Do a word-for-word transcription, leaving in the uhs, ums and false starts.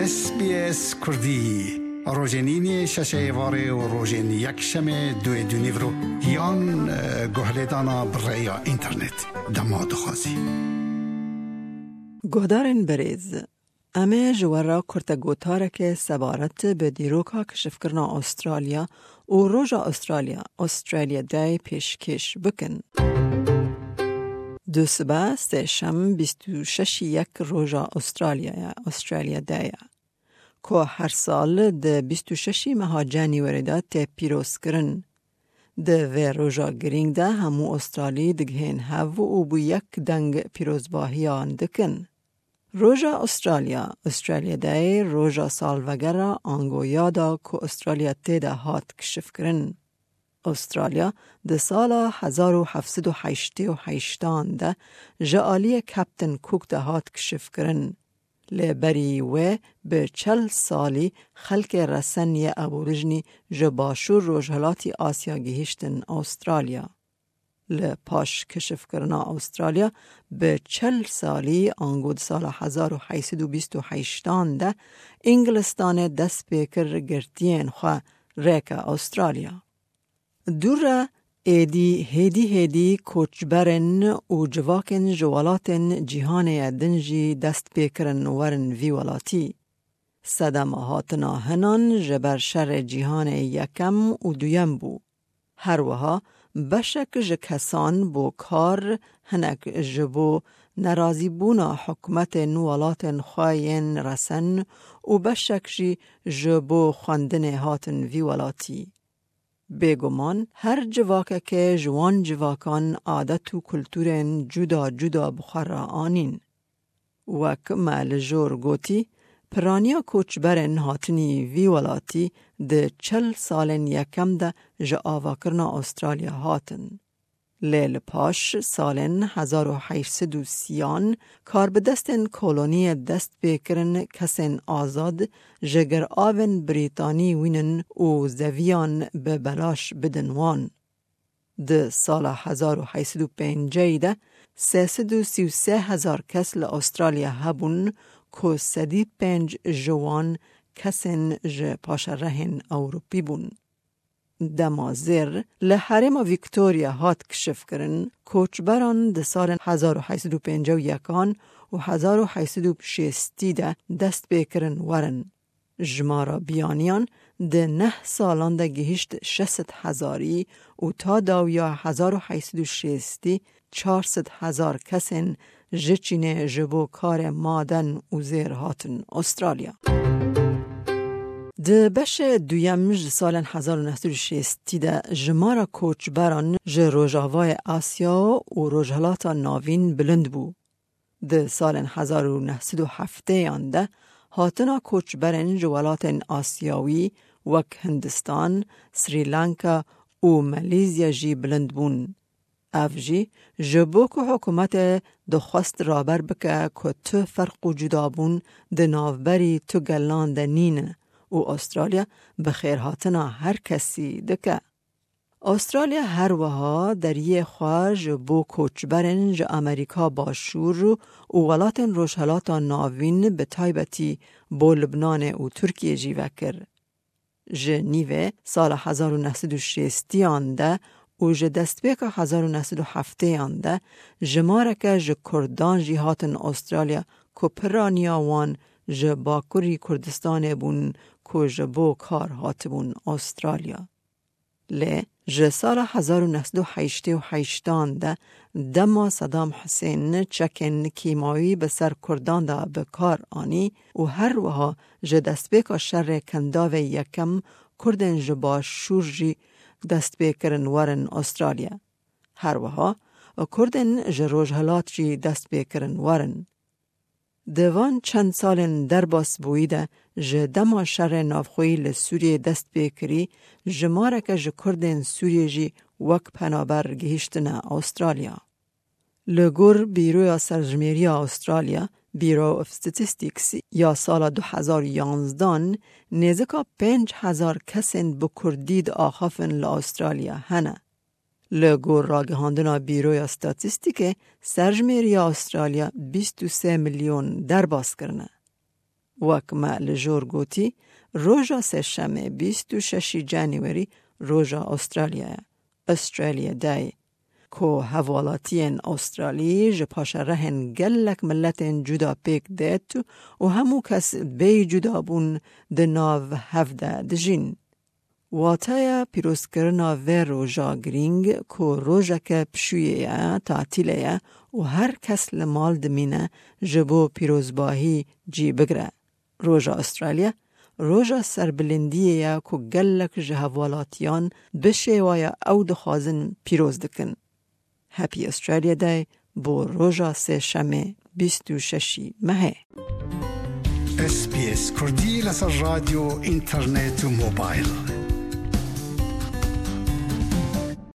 S B S Kurdî. Rojên înê şeşê êvarê û rojên yekşemê duê dûnîvro yan, e, guhlêdana bi rêya înternet. Dema dixwazî. Guhdarên berêz, em ê ji we re kurtegotareke sebaret bi dîroka kişifkirina Astralya û Roja Astralya, Australia Day, pêşkêş bikin. Dusibe, sêşem, bîst û şeşî yek Roja Astralya ye, Australia Day ye, ku her sal di bîst û şeşî meha Canîwerê de tê pîrozkirin. Di vê roja girîng de hemû Astralî digihên hev û bi yek deng pîrozbahiyan dikin. Roja Astralya, Australia Day, roja salvegera ango yada ku Astralya tê de hat kişifkirin. Astralya di sala hezar û heft sed û heştê û heştan de ji aliyê Captain Cook de hat kişifkirin. Lê berî wê bi çel salî xelkê resen yê Aborîjinî ji başûr rojhilatî Asya gihîştin Astralya. Li paş kişifkirina Astralya bi çel salî, ango di sala hezar û heyt sed û bîst û heştan de, Îngilistanê dest pê kir girtiyên xwe rêke Astralya. Dû re êdî hêdî hêdî koçberên û civakên ji welatên cîhanê ye din jî dest pê kirin werin vî welatî. Sedema hatina hinan ji ber şerê cîhanê yekem û duyem bû. Her wiha beşek ji kesan bo kar, hinek ji bo nerazîbûna hikûmetên welatên xwe yên resen û beşek jî ji bo xwendinê hatin vî welatî. Bêguman her civakekê ji wan civakan adet û kulturên cuda cuda bi xwe re anîn. Wek me li jor gotî, piraniya koçberên hatinî vî welatî di çil salên yekem de ji avakirina Astralya hatin. Lê li paş salên hezar û heyt sed û sîyan karbidestên koloniyê dest pê kirin kesên azad ji giravên Brîtanî wînin û zeviyan bi belaş bidin wan. Di sala hezar û heyt sed û pêncî de sê sed û sî û sê hezar kes li Astralya hebûn ku sedî pênc ji wan kesên ji paşerehên Ewropî bûn. Dema zêr li herêma Victoria hat kişifkirin, koçberan di salên hezar û heyt sed û pêncî û yekan û hezar û heyt sed û şêstî de dest pê kirin werin. Jimara biyaniyan di neh salan de gihişt şeş sed hezarî û ta dawiya hezar û heyt sed û şêstî çar sed hezar kesên ji Çînê ji bo karê maden û zêr hatin Astralya. Di beşê duyem ji salên hezar û neh sed û şêstî de jimara koçberan ji Rojavayê Asya û Rojhilata Navîn bilind bû. Di salên hezar û neh sed û heftêyan de hatina koçberên ji welatên Asyawî wek Hindistan, Srî Lanka û Malîzya jî bilind bûn. Ev jî ji bo ku hikûmetê dixwest raber bike ku tu ferq û cudabûn di navberî tu gelan de nîne û Astralya bi xêrhatina her kesî dike. Astralya her wiha deriyê xwe ji bo koçberên ji Amerîka Başûr û welatên Rojhelata Navîn, bi taybetî bo Libnanê û Tirkiyê jî vekir. Ji nîvê sala hezar û neh sed û şêstiyan de û ji destpêka hezar û neh sed û heftêyan de jimareke ji Kurdan jî hatin Astralya ku piraniya wan ji Bakurî Kurdistanê bûn ku ji bo kar hatibûn Astralya. Lê ji sala hezar û neh sed û heştê û heştan de dema Sedam Husên çekên kîmawî bi ser Kurdan de bi kar anî û her wiha ji destpêka şerê Kendavê Yekem Kurdên ji Başûr jî dest pê kirin werin Astralya. Her wiha Kurdên ji Rojhilat jî dest pê kirin werin. Di van çend salên derbasbûyî de ji dema şerê navxweyî li Sûriyê dest pê kirî, jimareke ji Kurdên Sûriyê jî wek penaber gihîştine Astralya. Li gor Bîroya Serjimêriya Astralya, Bureau of Statistics, ya sala du hezar û yanzdan, nêzika pênc hezar kesên bi Kurdî diaxafin li Astralya hene. Li gor ragihandina Bîroya Statîstîkê, serjimêriya Astralya bîst û sê milyon derbas kirine. Wek me li jor gotî, roja sêşemê bîst û şeşî Canîwerî roja Astralya ye, Australia Day, ku hevalatiyên Astralî ji paşerehên gelek miletên cuda pêk dêt û hemû kes bêyî cudabûn di nav hev de dijîn. Wateya pîrozkirina vê roja girîng ku rojeke pişûyê ye, tatîlê ye û her kes li mal dimîne ji bo pîrozbahî cî bigire. Roja Astralya, roja serbilindiyê ye ku gelek ji hevalatiyan bi şêwaya ew dixwazin pîroz dikin. Happy Australia Day bo roja sêşemê bîst û şeşî mehê. S B S Kurdî لەسەر ڕادیۆ، ئینتەرنێت و مۆبایل.